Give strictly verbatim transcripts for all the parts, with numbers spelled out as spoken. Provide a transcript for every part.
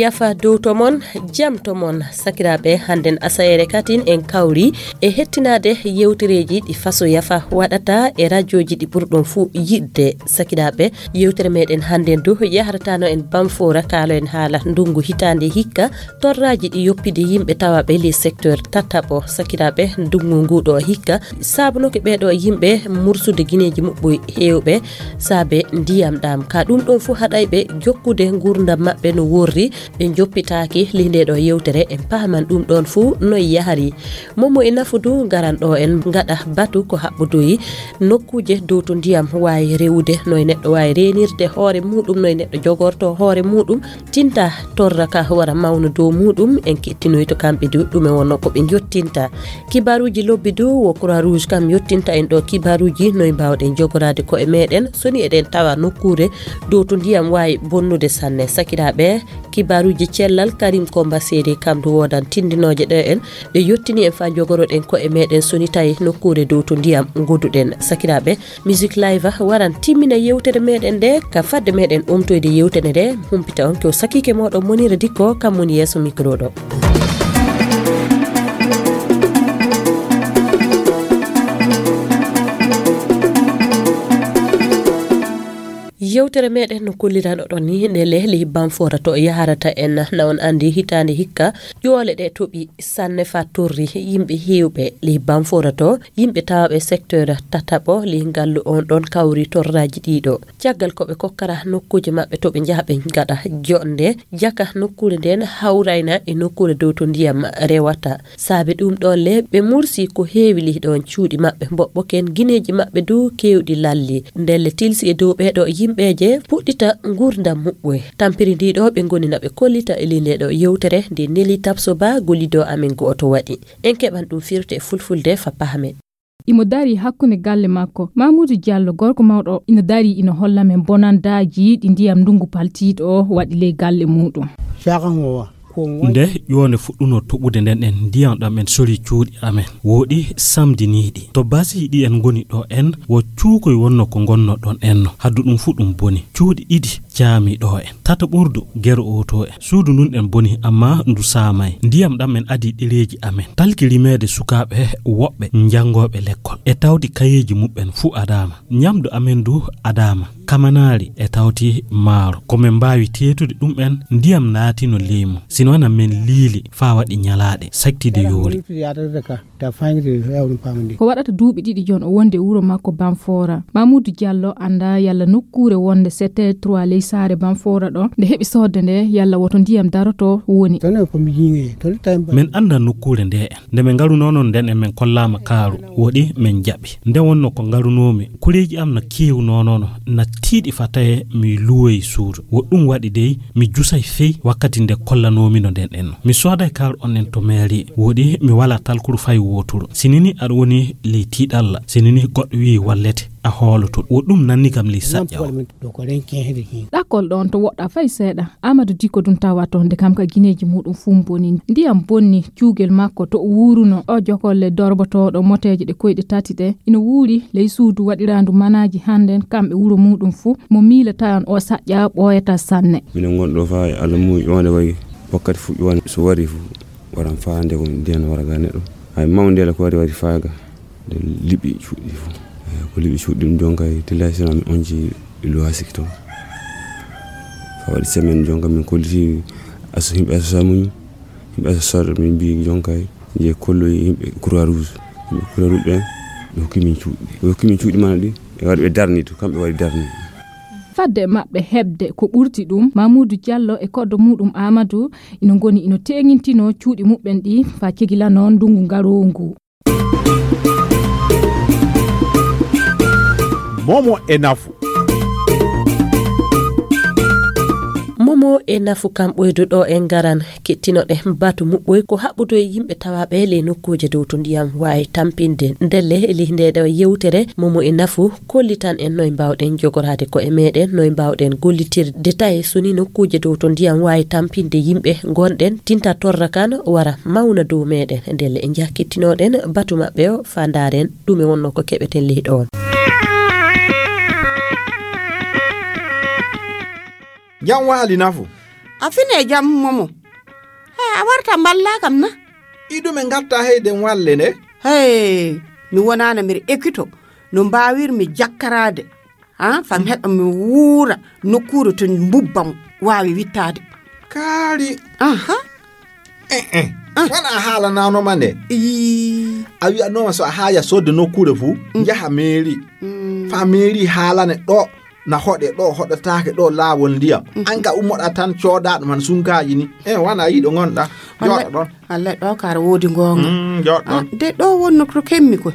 yafa dow to mon jam to mon sakiraɓe handen asayere katin en kawri e hettinade yewtereji ɗi faso yafa waɗata e radioji ɗi ɓurɗon fu yidde sakiraɓe yewtere meɗen handen du yaharatano en bamfora kalo en haala ndungu hitande hikka torraji ɗi yoppide yimɓe tawaɓe les secteur tataɓo sakiraɓe ndungu nguɗo hikka sabunoke ɓeɗo yimɓe mursude guineji muɓɓoy hewɓe saabe ndiyam ɗam ka ɗum ɗon fu haɗayɓe jokkude gurdam maɓɓe no worri ɓe joppitaki lindeɗo yewtere en paman ɗum ɗon fu noy yahari momo e nafudu garan ɗo en gaɗa batu ko haɓɓudoyi nokkuje dow to ndiyam wawi rewude noy neɗɗo wawi renirde hoore muɗum noy neɗɗo jogorto hoore muɗum tinta torra ka wara mawno dow muɗum en kettinoy to kamɓe du ɗume wonno ko ɓe jottinta kibaruji lobbi du wo croix rouge kam yottinta en ɗo kibaruji noy mbawɗen jogorade ko e meɗen soni eɗen tawa nokkure dow to ndiyam wawi bonnude sanne sakiraɓe kibaruji cellal Karim Komba Sedi kam du wodan tindinoje ɗe en ɓe yottini en fa jogoroɗen ko e meɗen soni tawi nokkure dow to ndiyam goduɗen sakiraɓe musique live waran timmina yewtere meɗen nde ka fadde meɗen umtoyde yewtere nde humpita on ko sakike moɗon Monira Dikko kam woni yesso micro ɗo. yewtere meɗen no kullirano ɗon ni nde lehli bamfora to yaharata en na on andi hitande hikka joole ɗe toɓi sanne fa torri yimɓe hewɓe li bamfora to yimɓe tawaɓe secteur tataɓo li gallu on ɗon kawri torraji ɗiɗo caggal koɓe kokkara nokkuje maɓɓe to ɓe jahaɓe gaɗa jonde jaka nokkure nden hawrayna e nokkure dow to ndiyam rewata saabe ɗum ɗon le ɓe mursi ko heewi li ɗon cuuɗi maɓɓe mboɓɓoken guineji maɓɓe du kewɗi lalli ndelle tilsi e dow ɓeɗo yimɓe je puɗɗita gurdam muɓɓoy tampiri ndiɗo ɓe gonina ɓe kollita e lindeɗo yewtere nde Nelly Tapso Ba gollido amen goto waɗi en keɓan ɗum firte fulfulde fa pahamen. Imo dari hakkunde galle makko Mamoudou Diallo gorko mawɗo ina dari ina holla men bonandaji ɗi ndiyam ndungu paltiɗo waɗi ley galle muɗum. nde yone fuɗɗuno toɓude nden en ndiyam ɗam en sori cuuɗi amen woɗi samdiniɗi to basi ɗi en goni ɗo en wo cuukoy wonno ko gonno ɗon enno haddu ɗum fu ɗum boni cuuɗi ɗiɗi jaami ɗo en tata ɓurdu gero oto en suudu ndun en boni amma ndu samay ndiyam ɗam en adi ɗereji amen talki rimede sukaɓe woɓɓe jangoɓe l'école e tawdi kayeji muɓɓen fu adama nyamdu amen du adama kamanari e tawti maaro komin mbawi tetude ɗum en ndiyam naatino leymu sino wana men liili fa waɗi nyalaɗe saktide yooli ko waɗata duuɓi ɗiɗi jon o wonde wuro makko Bamfora Mamoudou Diallo anda yalla nokkure wonde sept trois ley saare Bamfora ɗo nde heɓi sodde nde yalla woto ndiyam daroto woni men anda nokkure nde en nde men ngaruno non nden en men kollama kaaru woɗi men jaɓi nde wonno ko ngarunomi kureji am no kewno nono na tiiɗi fataye mi luwoy suudu woɗɗum waɗi dey mi jusay fey wakkati nde kollanomi no nden enno mi sooday kaaru onnen to mairie woɗi mi wala talkuru fay woturu sinini aɗa woni ley tiiɗalla sinini goɗɗo wi wallete a hooloto woɗɗum nanni kam li saƴƴa ɗakol ɗon to woɗɗa fay seeɗa Amadou Dikko ɗum tawa to nde kam ka guineji muɗum fum boni ndiyam bonni cuugel makko to wuruno o jokolle dorbotoɗo moteje ɗe koyɗe tati ɗe ina wuuri ley suudu waɗirandu manaji handen kamɓe wuro muɗum fu mo miila tawan o saƴƴa ɓooyata sanne minen gonɗo fa Allah mu ƴonde wayi wakkati fu ƴon so wari fu waran faande ko ndiyan waraga neɗɗo hay mawndele ko wari wari faaga nde liɓi cuuɗi fu ko liɓi cuuɗi ɗum jonka tillasina mi onji loisik to fa waɗi semaine jonka min kolliti aso yimɓe asosa muñ yimɓe asosore min mbi jonka je kolloyi yimɓe croix rouge yimɓe croix rouge ɓen ɓe hokkimin cuuɗi ɓe hokkimin cuuɗi mana ɗi ɓe waɗi ɓe darni to kamɓe waɗi darni fadde maɓɓe hebde ko ɓurti ɗum Mamoudou Diallo e koddo muɗum Amadou ina goni ina teŋintino cuuɗi muɓɓen ɗi fa cegila noon ndungu ngarowo ngu momo e nafu momo e nafu kam ɓoydu ɗo en garan kettinoɗe batu muɓɓoy ko haɓɓudo e yimɓe tawaɓe le nokkuje dow to ndiyam wawi tampinde ndelle e lindeɗo yewtere momo e nafu kollitan en noye mbawɗen jogorade ko e meɗen noye mbawɗen gollitirde tawi soni nokkuje dow to ndiyam wawi tampinde yimɓe gonɗen tinta torra kan wara mawna dow meɗen ndelle e jah kettinoɗen batu maɓɓe o fa ndaren ɗume wonno ko keɓeten leyɗo on. Jam waali nafu afine jam momo hey a warta balla kam na idu men gatta hayden walle ne hey mi wonana mi ekito no mbawir mi jakkarade ha fam heba mi wuura nokkuru to mbubbam waawi wittade kaari aha eh eh wana hala nano mane i awi no so haya sodde nokkure fu jaha meri fa meri hala ne do na hode do hodataake do laawol ndiya anka ummoda tan coodaado man sunkaaji ni e wana yido ngonda jodo don alle do kar wodi gonga mm jodo de do wonno ko kemmi ko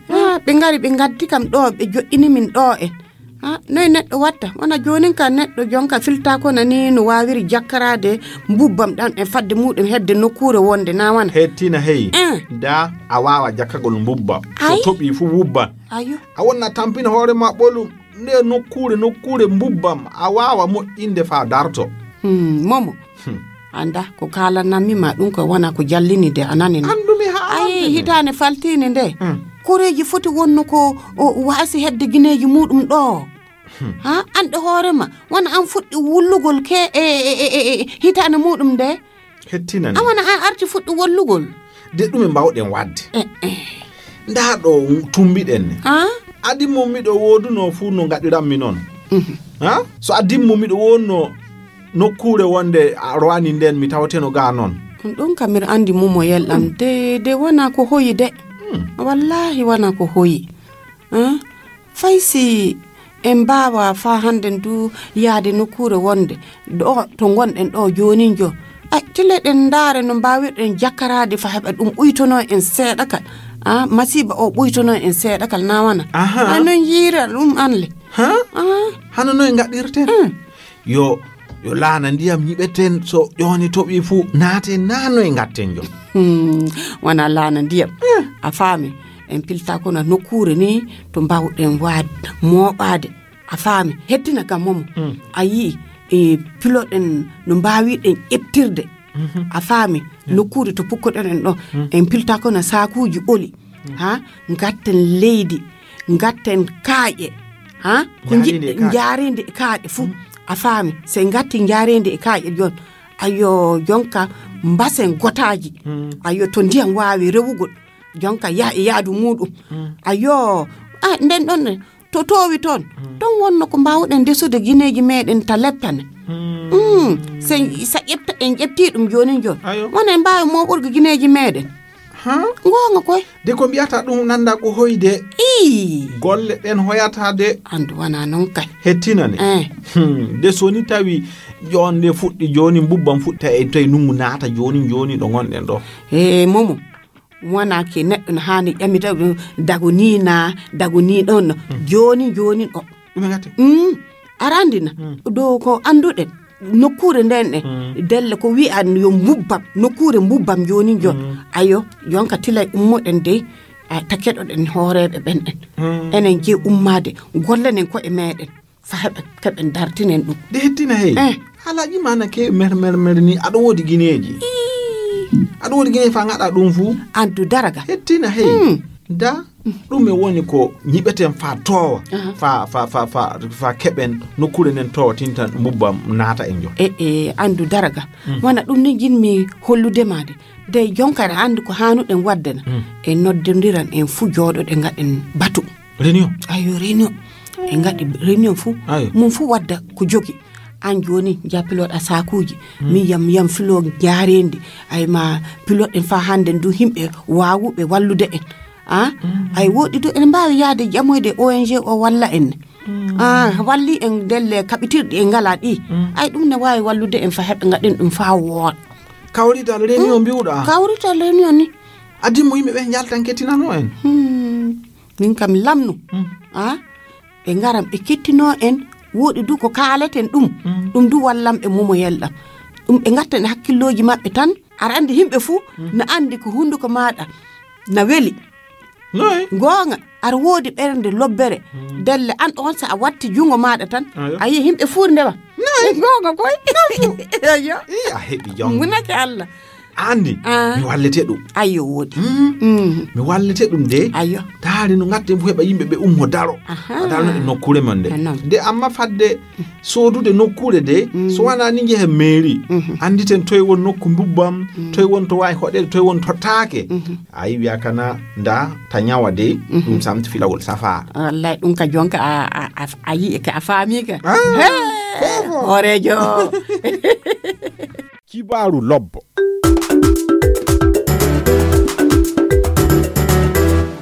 ha be ngari be gaddi kam do be jo'ini min do en ha noy neddo watta wana jonin kan neddo jonka filta ko nani no wawiri jakkarade mbubbam dan e fadde mudum hedde nokkure wonde na wana hettina hey da a wawa jakkagol mbubba so tobi fu wubba ayo a wonna tampina hoore ma bolum ne nokkure nokkure mbubbam a wawa mo'inde fa darto hmm momo hmm. anda ko kala nammi ma dum ko wana ko jallini de anani andumi ha ay hitane faltini de hmm. koreji foti wonno ko waasi hedde gineji mudum do hmm. ha ande hoorema wana an fuddi wullugol ke e, e, e, e hitane mudum de hettinani awana an arti fuddi wullugol de dum en bawden wadde eh eh nda do tumbiden ne ha adimmo mido woduno fu no ngadiram mi non ha so adimmo mido wonno nokkure wonde roani nden mi tawteno ga non don kamir andi mumo yeldam de de wana ko hoyi de wallahi wana ko hoyi ha faisi en bawa fa handen du yaade nokkure wonde do to gonden do joni jo ay tileden dare no mbawirden jakkarade fa heba dum uytono en seeda kal ah masiba o buytono en seeda kal na wana anon yira dum anle ha hano no ngadirten mm. yo yo laana ndiyam nyibeten so yoni tobi fu naate nano e ngatten jo hmm wana laana ndiyam mm. a faami en pilta ko na nokkure ni to mbawden waad mobaade a faami hettina kam mom mm. ayi e piloten no mbawiden eptirde mm-hmm. a faami yeah. nokkure to pukkoden en do mm. en pilta ko na saakuuji oli mm. ha ngatten leydi ngatten kaaje ha ko jaarinde kaaje fu mm. a faami se ngatti jaarinde kaaje jon ayo jonka mbasen gotaji mm. ayo to ndiyam waawi rewugol jonka ya yaadu mudum mm. ayo ah nden don to towi ton mm. don wonno ko mbawden desude gineji meden ta leppane mm. mm. se sa yepta en yepti dum joni jon wona en baawi mo burgo gineji meden ha gonga koy de ko biata dum nanda ko hoyde i golle den hoyata de andu wana non kay hettinane eh hmm. de soni tawi jonde fuddi joni mbubbam futta e tay nungu naata joni joni do gonden do eh momo wana ke neddo na hani yamita dagoni na dagoni don mm. joni joni o dum ngati mm arandina mm. do ko anduden nokkure nden e mm. delle ko wi an yo mbubbam nokkure mbubbam joni jo mm. ayo yonka tilay ummoden de takedo den hoorebe ben en mm. enen je ummade gollenen ko e meden fa hebe keben dartinen dum de hettina hey eh. halaji mana ke mer mer mer ni ado wodi gineji ado wodi gine fa ngada dum fu andu daraga hettina hey mm. da dum e woni ko nyibeten fa towa uh-huh. fa fa fa fa fa keben nokkure nen to tintan mbubbam naata en jo e e andu daraga mm. wana dum ni jinmi hollude made de jonkara andu ko hanuden waddana mm. e noddendiran en fu jodo de ngaden batu réunion ayo réunion e ngadi réunion fu mum fu wadda ko jogi an joni ja pilote a sakuji mm. mi yam yam filo jaarendi ay ma pilote en fa handen du himbe waawube wallude en ah mm. ay wodi do en mbaawi yaade jamoyde O N G o walla en mm. ah walli en delle kabitirdi en ngala di mm. ay dum ne waawi wallude en fa hebbe ngaden dum fa woot kawrita réunion mm. biuda kawrita réunion ni adi mo yimbe be jaltan kettinano en hmm. min kam lamnu mm. ah be ngaram be kettino en wodi du ko kaaleten dum mm. dum du wallam e momo yeldam dum be ngatten hakkilloji mabbe tan ar andi himbe fu mm. na andi ko hunduko maada na weli noy gonga ar wodi bernde lobbere mm. delle an on sa a watti jungo maada tan ayi himbe fuurde ba noy gonga koy yo iya hebi jom munake alla andi mi wallete ɗum ayo wodi mi wallete ɗum de ayo taari no ngatten fu heɓa yimɓe ɓe ummo daro daro e nokkure man de de amma fadde sodude nokkure de so wana ni jehe mairie anditen toy won nokku mbubbam toy won to wawi hoɗede toy won tottaake ayi wiya kana nda ta nyawa de ɗum samti filawol safar wallahi ɗum ka jonka a a yi ka a faami ka horejo kibaru lobbo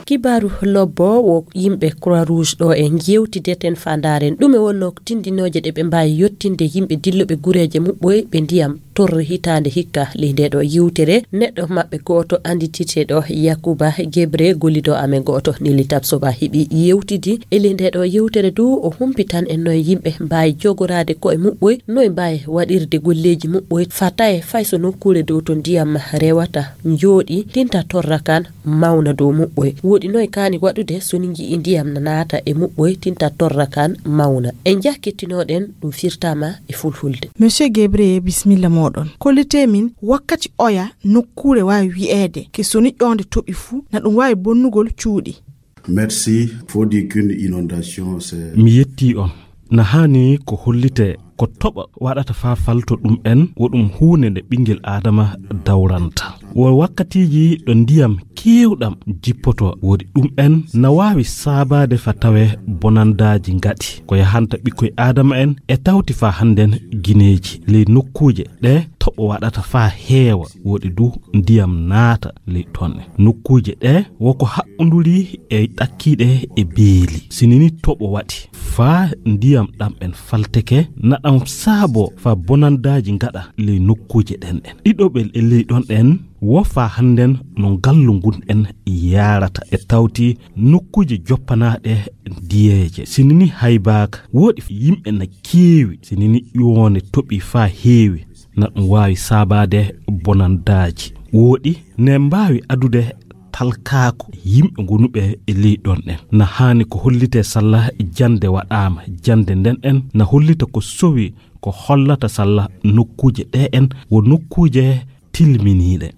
kibaru lobbo wo yimɓe croix rouge ɗo e jewtideten fandaren ɗume wonno tindinoje ɗe ɓe mbawi yettinde yimɓe dilloɓe gureje muɓɓoy ɓe ndiyam torre hitande hikka li ndeɗo yewtere neɗɗo maɓɓe goto andititeɗo Yakuba Gebre gollido amen goto Nili Tabsoba hiɓi yewtidi e li ndeɗo yewtere du o humpitan en noye yimɓe mbawi jogorade koye muɓɓoy noye mbawi waɗirde golleji muɓɓoy fataye fayso nokkure dow to ndiyam rewata jooɗi tinta torra kan mawna dow muɓɓoy woɗi noye kani waɗude soni jii ndiyam nanata e muɓɓoy tinta torra kan mawna en jakkittinoɗen ɗum firtama e fulfulde. Monsieur Gebre bismillah moɗon kollite min wakkati oya nokkure wawi wi'ede ke soni ƴonde toɓi fuu na ɗum wawi bonnugol cuuɗi. Merci. Faut dire qu'une inondation c'est mi yetti on na hani ko hollite ko toɓa waɗata fa falto ɗum en woɗum hunde nde ɓingel adama dawranta wo wakkatiji ɗo ndiyam kewɗam jippoto woɗi ɗum en na wawi sabade fa tawe bonandaji ngaɗi ko yahanta ɓikkoye adama en e tawti fa hannden guineji ley nokkuje ɗe toɓo waɗata fa heewa woɗi du ndiyam naata ley tonne nokkuje ɗe woko haɓɓoduri e ɗakkiɗe e beeli sinini toɓo waɗi fa ndiyam ɗam en falteke naɗam saabo fa bonandaji ngaɗa ley nokkuje ɗen en ɗiɗoɓel e ley ɗon ɗen wofa hannden no gallu ngun en yarata e tawti nokkuje joppanaɗe diyeje sinini haybaka woɗi yimɓe na keewi sinini ƴoone toɓi fa heewi na ɗum wawi sabade bonandaji woɗi ne mbawi adude talkaako yimɓe gonuɓe e ley ɗon en na hani ko hollite sallah jande waɗama jande nden en na hollita ko sowi ko hollata sallah nokkuje ɗe en wo nokkuje tilminiɗe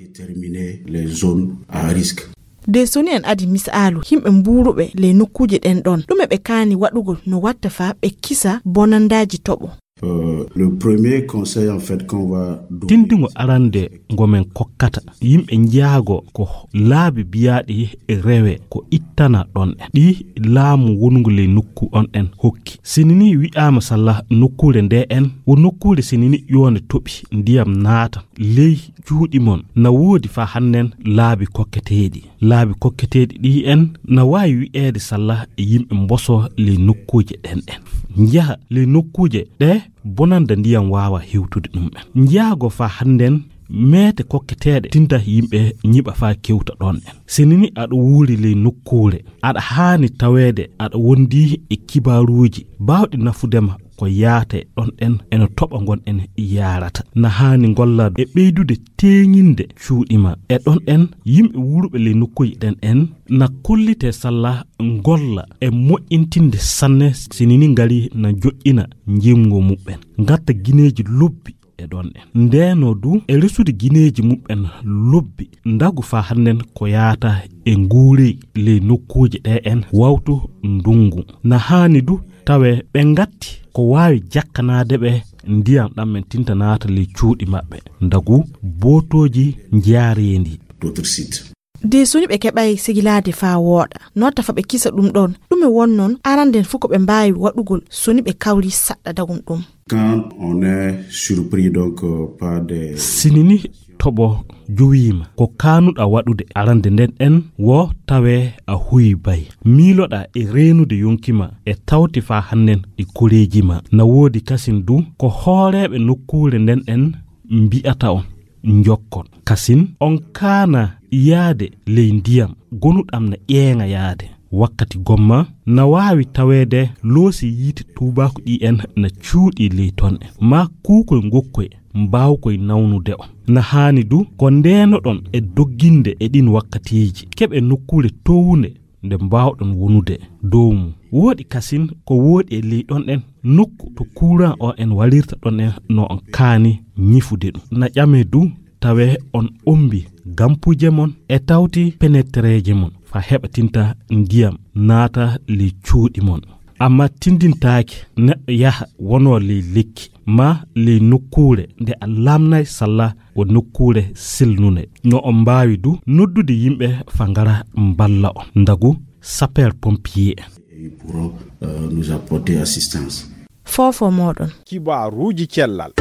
déterminer les zones à risque. De soni en adi misalu himɓe mburuɓe le nokkuje ɗen ɗon ɗume ɓe kani waɗugol no watta fa ɓe kisa bonandaji toɓo. Euh, le premier conseil en fait qu'on va tindingo arande ngomen kokkata yimɓe njaago ko laabi biyaɗi e rewe ko ittana ɗon en ɗi laamu wongu le nokku on en hokki sinini wi'ama sallah nokkure nde en wo nokkure sinini yone toɓi ndiyam naata ley juuɗi mon na woodi fa hannen laabi kokketeɗi laabi kokketeɗi ɗi en na wawi wi'ede sallah e yimɓe mboso le nokkuje ɗen en njaha le nokkuje ɗe bonanda ndiyam wawa hewtude ɗum en njaago fa hannden meete kokketeɗe tinta yimɓe nyiɓa fa kewta ɗon en sinini aɗa wuuri ley nokkure aɗa haani taweede aɗa wondi e kibaruji bawɗi nafudema ko yaate ɗon en eno toɓa gon en yarata na haani golla e ɓeydude teeŋinde cuuɗima e ɗon en yimɓe wuurɓe ley nokkuji ɗen en na kollite sallah golla e moƴƴintinde sanne sinini ngari na joƴƴina jimgo muɓɓen gatta guineji lobbi e ɗon en ndeno du e resude guineji muɓɓen lobbi ndagu fa hannen ko yaata e nguuri ley nokkuje ɗe en wawtu ndungu na haani du tawe ɓe ngatti ko wawi jakkanade ɓe ndiyam ɗam men tinta naata ley cuuɗi maɓɓe ndagu botoji jaarendi d'autres sites. De soni ɓe keɓay sigilade fa wooɗa notta fa ɓe kisa ɗum ɗon ɗume wonnon aranden fu ko ɓe mbawi waɗugol soni ɓe kawri saɗɗa dagum ɗum. Quand on est surpris donc euh, par des sinini toɓo jowima ko kanuɗa waɗude arande nden en wo tawe a huyi bay miiloɗa e reenude yonkima e tawti fa hannen e koreji ma na woodi kasin du ko hooreɓe nokkure nden en mbi'ata on jokkon kasin on kana yaade ley ndiyam gonuɗam na ƴeeŋa yaade wakkati gomma na wawi tawede loosi yiite tubako ɗi en na cuuɗi ley ton en ma kuukoy ngokkoy mbawkoy nawnude on na haani du ko ndenoɗon e dogginde e ɗin wakkatiji keɓe nokkure towunde nde mbawɗon wonude dow mum woodi kasin ko woodi e ley ɗon en nokku to courant o en walirta ɗon en no on kaani ñifude ɗum na ƴame du tawe on umbi gampuje mon e tawti penetreje mon fa heɓatinta ndiyam naata li cuuɗi mon. Amma tindintaake neɗɗo yaha wono li likki ma li nokkuure nde a lamnay salla wo nokkuure silnune no on mbaawi du noddude yimɓe fa ngara mballa on ndagu sapeur pompier pour euh, nous apporter assistance. Fofo moɗon kibaruuji cellal.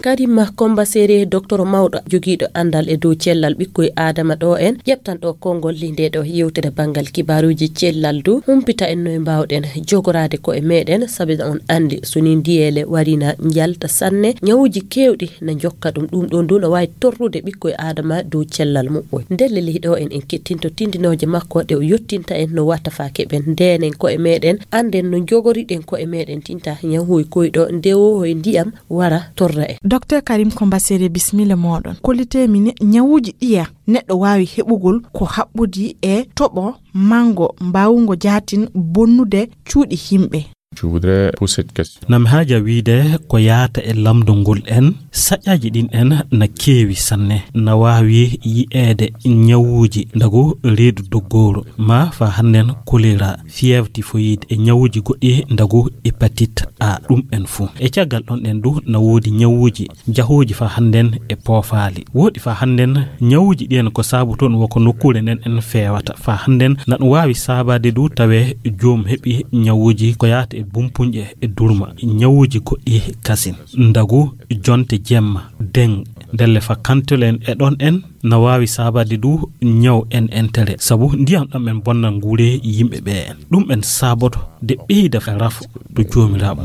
Kadima Komba Sere docteur mawɗo jogiiɗo andal e dow cellal ɓikkoye adama ɗo en ƴeftan ɗo konngol linde ɗo yewtere bangal kibaruji cellal du humpita en noye mbawɗen jogorade ko e meɗen sabi on andi soni ndiyele warina jalta sanne nyawuji kewɗi na jokka ɗum ɗum ɗon du no wawi torrude ɓikkoye adama dow cellal muɓɓoy ndelle liɗo en en kettinto tindinoje makko ɗe o yottinta en no watta fa keɓen ndenen ko e meɗen anden no jogoriɗen ko e meɗen tinta nyawuy koyɗo ndewo hoye ndiyam wara torra en. Docteur Karim Komba Sere bismilla moɗon kolite min nyawuji ɗiya neɗɗo wawi heɓugol ko haɓɓudi e toɓo mango mbawugo jatin bonnude cuuɗi himɓe. Je voudrais pour cette question. Nam haja wiide ko yaata e lamdo ngol en saƴaji ɗin en na keewi sanne na wawi yi'eede nyawuji ndago reedu doggoro ma fa hannen choléra fièvre typhoïde e nyawuji goɗɗi ndago hépatite A ɗum en fu e caggal ɗon en du na woodi nyawuji jahoji fa hannen e poofaali woodi fa hannen nyawuji ɗi en ko saabu toon woko nokkure nden en feewata fa hannen na ɗum wawi saabade du tawe joom heɓi nyawuji ko yaata e bumpunje e durma nyawuji goɗɗi kasin ndagu jonte jemma deng delle fa kantolen e ɗon en na wawi sabade du nyaw en entere sabu ndiyam ɗam en bonna nguure yimɓe ɓe en ɗum en saboto de ɓeyda rafu to joomiraɓe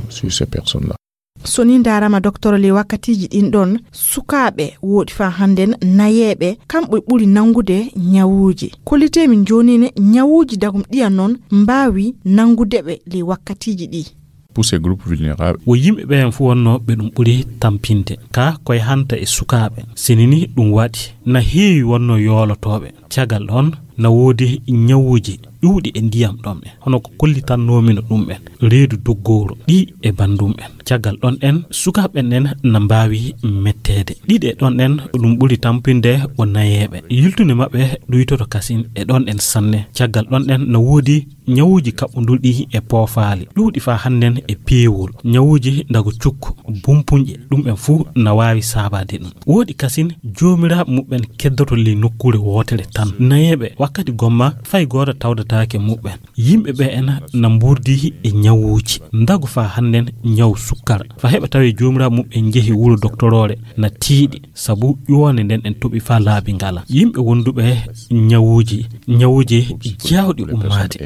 sur ces personnes là. Soni darama docteur le wakkatiji ɗin ɗon sukaɓe woodi fa handen nayeɓe kamɓe ɓuri nangude nyawuji kolite min jonine nyawuji dagum ɗiya non mbawi nangudeɓe le wakkatiji ɗi. Pour ces groupes vulnérables wo yimɓe ɓen fu wonno ɓe ɗum ɓuri tampinde ka koye hanta e sukaɓe sinini ɗum waɗi na heewi wonno yoolotoɓe cagal ɗon na woodi nyawuji ɗuuɗi e ndiyam ɗon ɓen hono ko kollitannomi no ɗum ɓen reedu doggoro ɗi e bandum ɓen caggal ɗon en sukaɓen en na mbawi mettede ɗiɗe ɗon en ɗum ɓuri tampinde o nayeɓe yiltude maɓɓe ɗuytoto kasin e ɗon en sanne caggal ɗon en na woodi nyawuji kaɓɓodulɗi e poofaali ɗuuɗi fa hannen e peewol nyawuji ndago cukku bumpunƴe ɗum en fuu na wawi saabade ɗum woodi kasin joomiraɓe muɓɓen keddoto li nokkure wootere tan nayeɓe wakkati gomma fay goto tawdatake muɓɓen yimɓe ɓe en na mburdi e nyawuji ndago fa hannen nyaw sukkara fa heɓa tawi joomiraɓe muɓɓen jeehi wuro doctorore na tiiɗi sabu ƴoone nden en toɓi fa laabi ngala yimɓe wonduɓe nyawuji nyawuji jawɗi ummade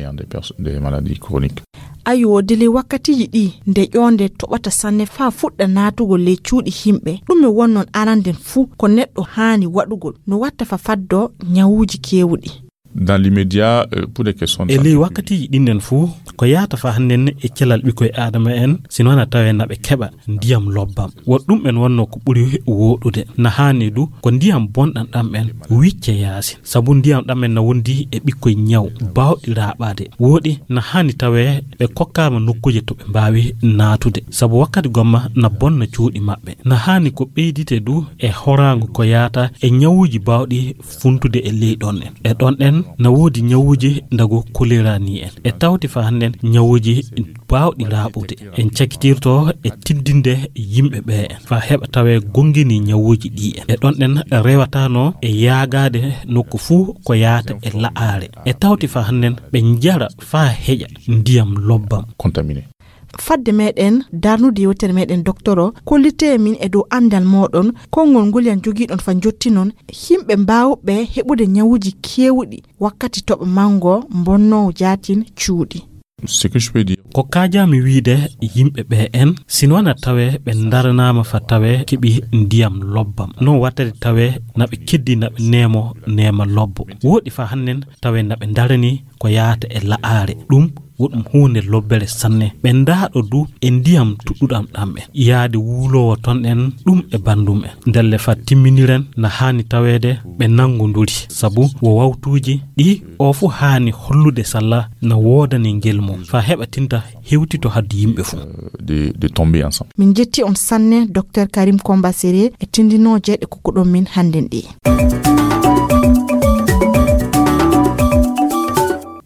des maladies chroniques. Ayo dele wakkatiji ɗi nde ƴonde toɓata sanne fa fuɗɗa natugol le cuuɗi himɓe ɗum e wonnon aranden fuu ko neɗɗo haani waɗugol no watta fa faddo nyawuji kewuɗi. Dans l'immédiat euh, pour des questions de santé. Eli wakkati ɗinnen fu ko yaata fa hannen e celal ɓikkoye adama en sino wana tawe naɓe keɓa ndiyam lobbam wot ɗum en wonno ko ɓuri woɗude na hani du ko ndiyam bonɗam ɗam en wicce yaasi sabu ndiyam ɗam en na wondi e ɓikkoye ñaw bawɗi raɓade woɗi na hani tawe ɓe kokkama nokkuje to ɓe mbawi natude sabu wakkati gomma na bonna cuuɗi maɓɓe na hani ko ɓeydite du e horango ko yaata e ñawuji bawɗi funtude e ley ɗon en e ɗon en na woodi nyawuji ndago choléra ni en e tawti fa hannen nyawuji bawɗi raɓude en cakitirto e tiddinde yimɓe ɓe en fa heɓa tawe gongini nyawuji ɗi en e ɗon en rewatano e yaagade nokku fuu ko yaata e la'are e tawti fa hannen ɓe jara fa heƴa ndiyam lobbam contaminé. Fadde meɗen darnude yewtere meɗen doctoro kollite min e dow andal moɗon konngol ngol yan jogiɗon fa jottinon himɓe mbawɓe heɓude nyawuji kewuɗi wakkati toɓa mango bonnowo jatin cuuɗi. Ce que je peux dire ko kajami wiide yimɓe ɓe en sinwana tawe ɓe daranama fa tawe keɓi ndiyam lobbam non wattade tawe naɓe keddi naɓe nemo nema lobbo woɗi fa hannen tawe naɓe darani ko yaata e la'aare ɗum woɗum hunde lobbere sanne ɓe ndaaɗo du e ndiyam tuɗɗuɗam ɗam en yaade wuulowo ton en ɗum e bandum en ndelle fa timminiren na haani taweede ɓe nangonduri sabu wo wawtuuji ɗi o fu haani hollude salla na woodani ngel mum fa heɓa tinta hewtito hadde yimɓe fu de, de tomber ensemble. Min jetti on sanne docteur Karim Komba Séré e tindinoje ɗe kokkuɗon min hannden ɗi.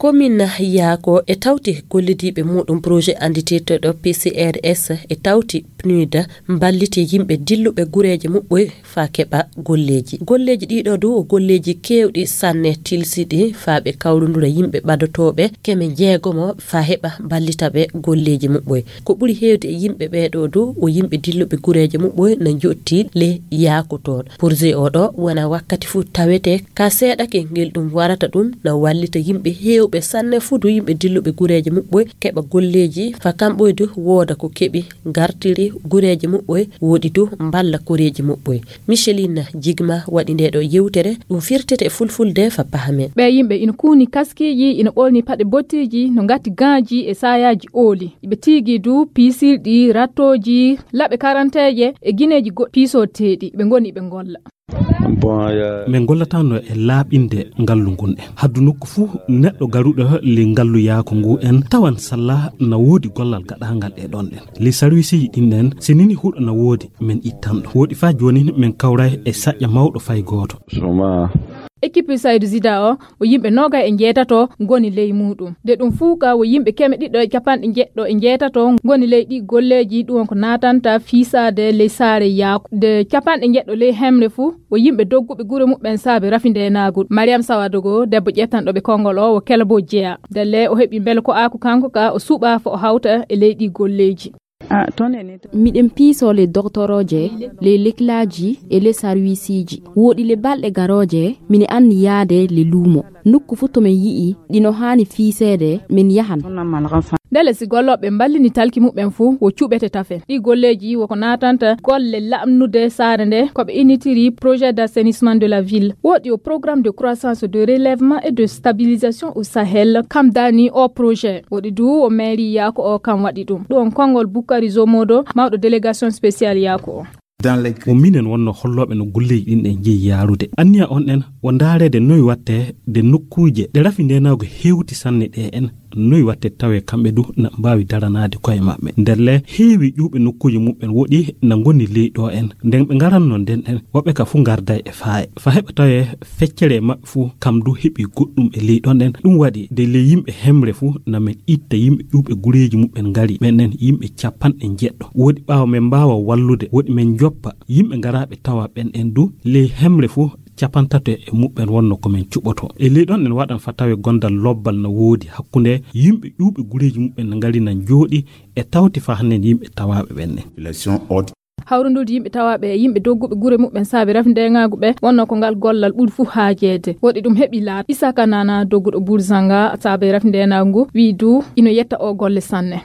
commune yaako e tawti gollidiɓe muɗum projet anditeteɗo P C R S e tawti P N U D mballiti yimɓe dilluɓe gureje muɓɓoy fa keɓa golleji golleji ɗiɗo du golleji kewɗi sanne tilsiɗi fa ɓe kawrundura yimɓe ɓadotoɓe keme jeegomo fa heɓa mballitaɓe golleji muɓɓoy ko ɓuri hewde e yimɓe ɓeɗo du o yimɓe dilluɓe gureje muɓɓoy na jotti le yaako toon projet oɗo wona wakkati fu tawete ka seeɗake ngel ɗum warata ɗum na wallita yimɓe hew ɓe sanne fudu yimɓe dilluɓe gureje muɓɓoy keɓa golleji fa kamɓoydu wooda ko keɓi gartiri gureje muɓɓoy woɗi du mballa koreji muɓɓoy Micheline Jigma waɗi nde ɗo yewtere ɗum firtete e fulfulde fa pahamen ɓe yimɓe ina kuuni kaskiji ina ɓolni paɗe bottiji no gatti ganji e sayaji ooli ɓe tigi du pisirɗi rattoji laɓe karanteje e guineji pisoteɗi ɓe goni ɓe golla min gollatano e laaɓinde ngallu ngun en haddu nokku fuu neɗɗo garuɗo le ngallu yaako ngu en tawan salla na woodi gollal gaɗangal e ɗon en li service ji ɗin en sinini huɗo na woodi min ittanɗo woodi fa joni min kawray e saƴƴa mawɗo fay gooto équipe Saydou Zida o o yimɓe noga e jeetato goni ley muɗum de ɗum fuuka o yimɓe keme ɗiɗɗo e capanɗe jeɗɗo e jeetato goni ley ɗi golleji ɗum ko natanta fiisade ley saare yaako de capanɗe jeɗɗo ley hemre fuu o yimɓe dogguɓe gure muɓɓen saabe rafinde naguɗo Mariam Sawadogo debbo ƴettanɗo ɓe konngol o o kelbo jeeya delle o heeɓi beele ko ako kanko ka o suuɓa fo o hawta e ley ɗi golleji miɗen piisole doctoroje le leklaji e le sarwisiji woɗi le balɗe garoje mine anni yaade le luumo nokku fu to min yi'i ɗino haani fiiseede min yahan ndele si golloɓe mballini talki muɓɓen fuu wo cuɓete tafen ɗi golleji woko natanta golle lamnude saare nde koɓe initiri projet d'assainissement de la ville woɗi o programme de croissance de relèvement et de stabilisation au Sahel kam dani o projet woɗi du o mairie yaako o kam waɗi ɗum ɗum konngol Boukari Zomodo mawɗo délégation spéciale yaako o o minen wonno holloɓe no golleji ɗin ɗen jeeyi yaarude anniya on en o ndaarede noyi watte de nokkuje ɗe rafi ndenago hewti sanne ɗe en noyi watte tawe kamɓe du na mbawi daranade koye maɓɓe nderle heewi ƴuuɓe nokkuji muɓɓen woɗi na goni ley ɗo en nden ɓe ngaranno nden en woɓɓe ka fu garda e faaye fa heɓa tawe feccere maɓɓe fu kam du heeɓi goɗɗum e ley ɗon en ɗum waɗi de ley yimɓe hemre fu namen itta yimɓe ƴuuɓe gureji muɓɓen ngari ɓenen yimɓe capanɗe jeɗɗo woɗi ɓaawa men mbawa wallude woɗi men joppa yimɓe ngaraɓe tawa ɓen en du ley hemre fu capantato e muɓɓen wonno komin cuɓoto e ley ɗon en waɗan fa tawe gondal lobbal no woodi hakkunde yimɓe ƴuuɓe gureji muɓɓen no ngari na jooɗi e tawti fa hannen yimɓe tawaɓe ɓenne hawrundude yimɓe tawaɓe e yimɓe dogguɓe gure muɓɓen saabi rafndeŋagu ɓe wonno ko ngal gollal ɓuuri fuu haajede woɗi ɗum heeɓi laaɓ Isaka Nana dogguɗo Bourzanga saabi rafndenagu ngu wi du ino yetta o golle sanne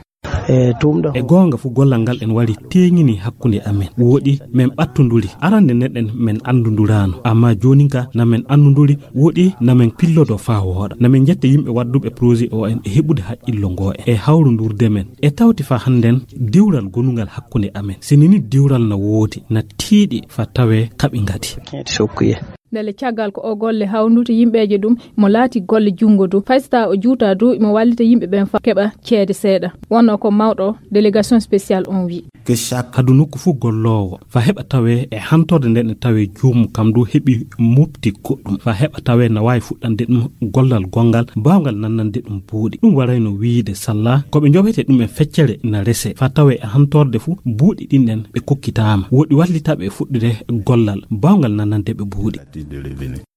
e tumɗo e gonga fu gollal ngal en wari teŋini hakkunde amen woɗi min ɓattoduri arande neɗɗen min andudurano amma joni ka namin anduduri woɗi namin pillodo fa wooɗa namin jetta yimɓe wadduɓe projet o en e heɓude haqqillo ngo en e hawrodurde men e tawti fa hannden dewral gonungal hakkunde amen sinini dewral na woodi na tiiɗi fa tawe kaɓi ngadi ndele caggal ko o golle hawndude yimɓeje ɗum mo laati golle jungo du faysta o juuta du imo wallita yimɓe ɓen fa keɓa ceede seeɗa wonno ko mawɗo délégation spéciale on wi hadu nokku fu gollowo fa heɓa tawe e hantorde nden e tawe joomum kam du heeɓi mofti goɗɗum fa heɓa tawe na wawi fuɗɗande ɗum gollal gongal mbawgal nannande ɗum buuɗi ɗum warayno wiide salla koɓe joɓete ɗum e feccere na rese fa tawe e hantorde fu buuɗi ɗin ɗen ɓe kokkitama woɗi wallitaɓe e fuɗɗude gollal mbawgal nannande ɓe buuɗi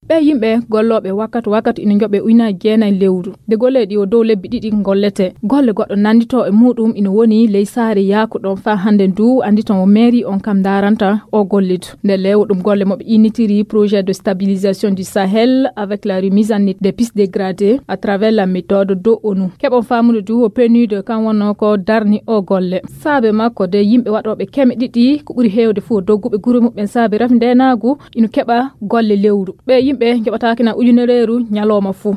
ɓe yimɓe golloɓe wakkati wakkati ina joɓe ujunnaje jeenayi lewru de golle ɗi o dow lebbi ɗiɗi gollete golle goɗɗo nandito e muɗum ina woni ley saare yaako ɗon fa hande du andi ton o mairie on kam daranta o gollidu nde lewo ɗum golle moɓe initiri projet de stabilisation du Sahel avec la remise en état des pistes dégradées à travers la méthode do ONU keɓon famude du o P N U D kan wonno ko darni o golle saabe makko de yimɓe waɗoɓe keme ɗiɗi ko ɓuuri hewde fo dogguɓe guure muɓɓen saabe rafi ndenagu ina keɓa golle lewru ɓe yimɓe joɓatakina ujunereru ñalowma fuu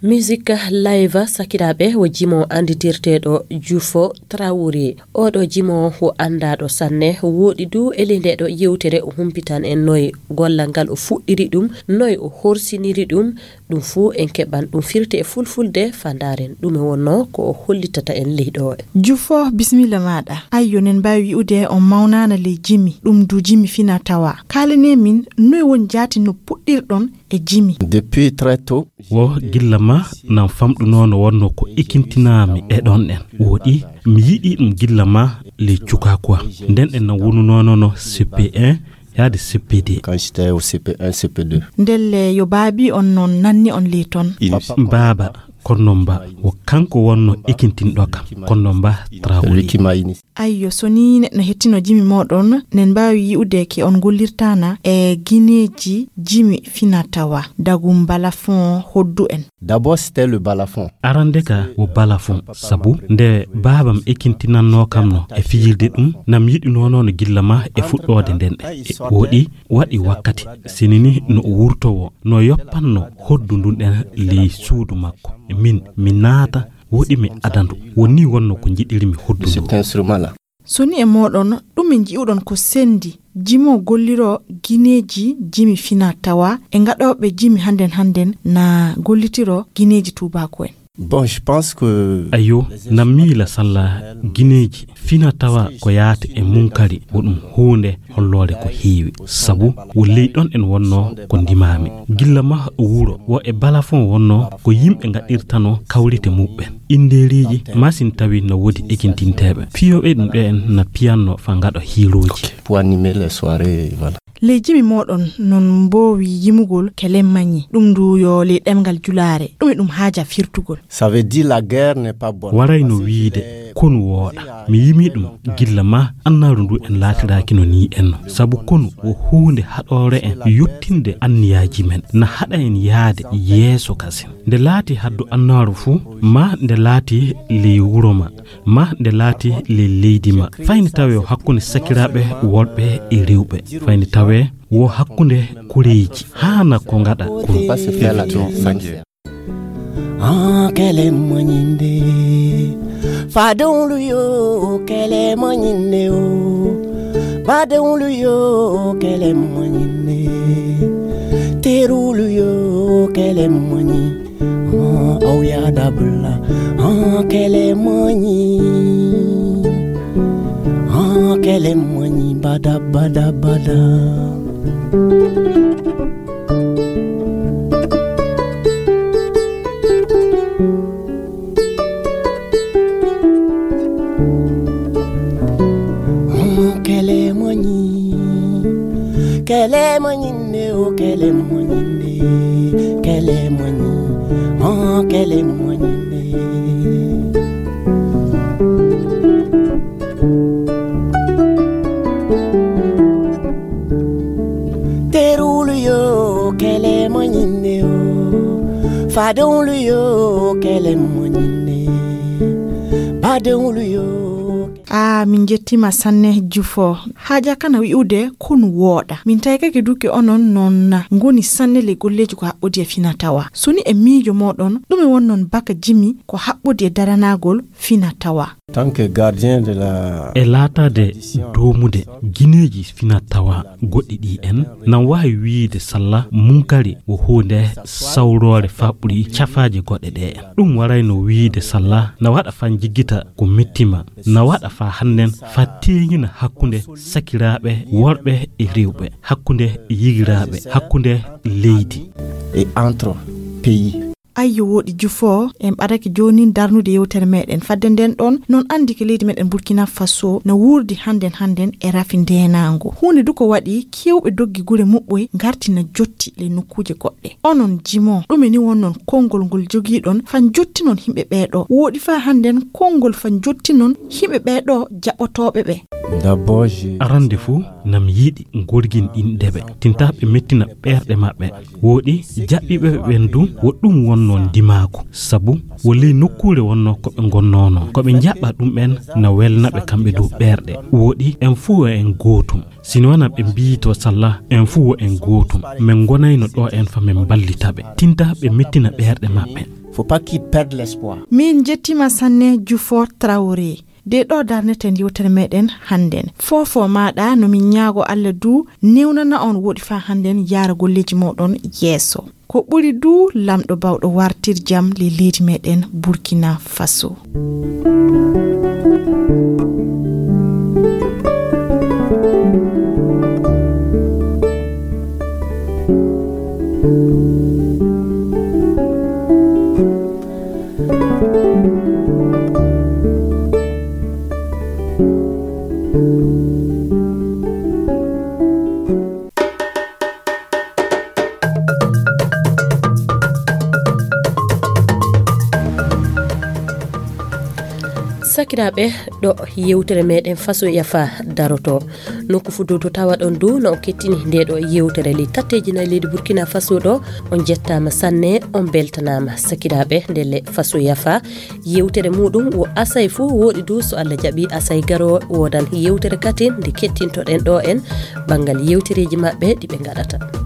musique live sakiraɓe wo jimo anditirteɗo Jufo Traoré. oɗo jimo o andaɗo sanne woɗi du ele ndeɗo yewtere o humpitan en noy gollal ngal o fuɗɗiri ɗum, noy o horsiniri ɗum, ɗum fu en keɓan ɗum firte e fulfulde fandaren ɗum e wonno ko o hollitata en leyɗo. Jufo bismillah maɗa. Ayyo nen mbawi wi'ude on mawnana ley jimi ɗum du jimi fina tawa. Kalane min noy won jati no puɗɗirɗon e jimi. Depuis très tôt wo gilla ma nan famɗuno no wonno ko ikintinami e ɗon en woɗi mi yiɗi ɗum gilla ma le cuka quoi nden en nan wonunono no C P un yaade C P deux. Quand j'étais au C P un C P deux. Ndelle yo baabi on non nanni on le ton. Baba konnomba wo kanko wonno ikintinɗo kam konnomba Traoré. Ayyo so ni neɗɗo hettino jimi moɗon nen mbawi yi'ude ke on gollirtana e guineji jimi fina tawa dagum balafon hoddu en. D'abord c'était le balafon. Arande ka wo balafon sabu nde babam ikintinanno kam no e fijirde ɗum nam yiɗi nono no gillama e fuɗɗode nden e woɗi waɗi wakkati sinini no o wurtowo no yoppanno hoddu ndun ɗen ley suudu makko min mi naata woɗi mi adandu woni wonno ko jiɗiri mi hoddu cet instrument là. Soni e moɗon ɗum min ji'uɗon ko sendi jimo golliro gineji jimi fina tawa e ngaɗoɓe jimi handen handen na gollitiro gineji tubako en. Bon, je pense que ayo namila salla gineji fina tawa ko yaata e munkari wodum hunde hollode ko heewi sabu wolli don en wonno ko ndimami gilla ma wuro wo e balafon wonno ko yimbe ngadirtano kawlite mubben inderiji masin tawi no wodi ekintintebe piyobe dum be en na piano fa ngado hiroji pour animer les soirées voilà. Le jimi modon non mbowi yimugol kelem magni dum du yo le demgal julare dum dum haja firtugol. Ça veut dire la guerre n'est pas bonne. Waray no wiide kon woda mi yimi dum gilla ma annaru ndu en latiraki no ni en sabu kon o hunde hadore en yottinde anniyaji men na hada en yaade yeso kasen de lati haddu annaru fu ma de lati le wuroma ma de lati le leydima fayni tawe hakkunde sakirabe wolbe e rewbe fayni tawe wo hakkunde kureji hana ko ngada ko passe faire la tour sangue. Ah, qu'elle est mogninde. Fadon luyo, qu'elle est mogninde. Fadon luyo, qu'elle est mogninde. Teru luyo, qu'elle est mogninde. Ah, oh ya dabla. Ah, qu'elle est mogninde. Ah, qu'elle est mogninde. Bada bada bada. Qu'elle est mognine, oh qu'elle est mognine, qu'elle est mognine, oh qu'elle est mognine. Déroule yo, qu'elle est mognine, oh, fadon yo, qu'elle est mognine, badon yo. Ah, min jettima sanne Jufo. Haja kana wi'ude kun woda. Min taykake duke onon non ngoni sanne le golleji ko habbodi e fina tawa. Suni e miijo modon dum e wonnon baka jimi ko habbodi e daranagol fina tawa. Tant que gardien de la e latade domude gineji fina tawa goddi di en nan wawi wiide salla munkari wo hunde sawrore faburi chafaaji godde de dum warayno wiide salla na wada fan jigita ko mettima na wada fa hannen fa teñina hakkunde sakirabe worbe e rewbe hakkunde yigirabe hakkunde leydi et entre pays. Ayyo wodi Jufo en badaki joni darnude yewtere meden fadde den don non andi ke leydi meden Burkina Faso na wurdi handen handen e rafindenango hunde duko wadi kewbe doggi gure mubboy gartina jotti le nokkuje godde onon jimo dumeni wonnon kongol ngol jogi don fan jotti non himbe beedo wodi fa handen kongol fan jotti non himbe beedo jabotobe be. D'abord je arande fu nam yidi ngorgin indebe tintabe mettina berde mabbe wodi jabbibe wendu woddum wonnon dimako sabu woli nokkure wonno ko be gonnono ko be jabba dum ben na welnabe kambe do berde wodi en fu en gotum sinwana be biito salla en fu en gotum men gonayno do en fa men ballitabe tintabe mettina berde mabbe faut pas qu'il perde l'espoir. Min jettima sanne Jufor Traoré. De ɗo darneten yewtere meɗen hannden fofo maɗa no min ñaago Allah du newnana on woɗi fa hannden yara golleji moɗon yeeso ko ɓuri du lamɗo bawɗo wartir jam le leydi meɗen Burkina Faso. sakiraɓe ɗo yewtere meɗen faso yafa daroto nokku fudu to tawa ɗon du no kettini nde ɗo yewtere li tatteji na leydi Burkina Faso ɗo on jettama sanne on beltanama sakiraɓe ndelle faso yafa yewtere muɗum wo asay fu woɗi du so Allah jaɓi asay garo wodan yewtere katin nde kettintoɗen ɗo en bangal yewtereji mabɓe ɗiɓe gaɗata.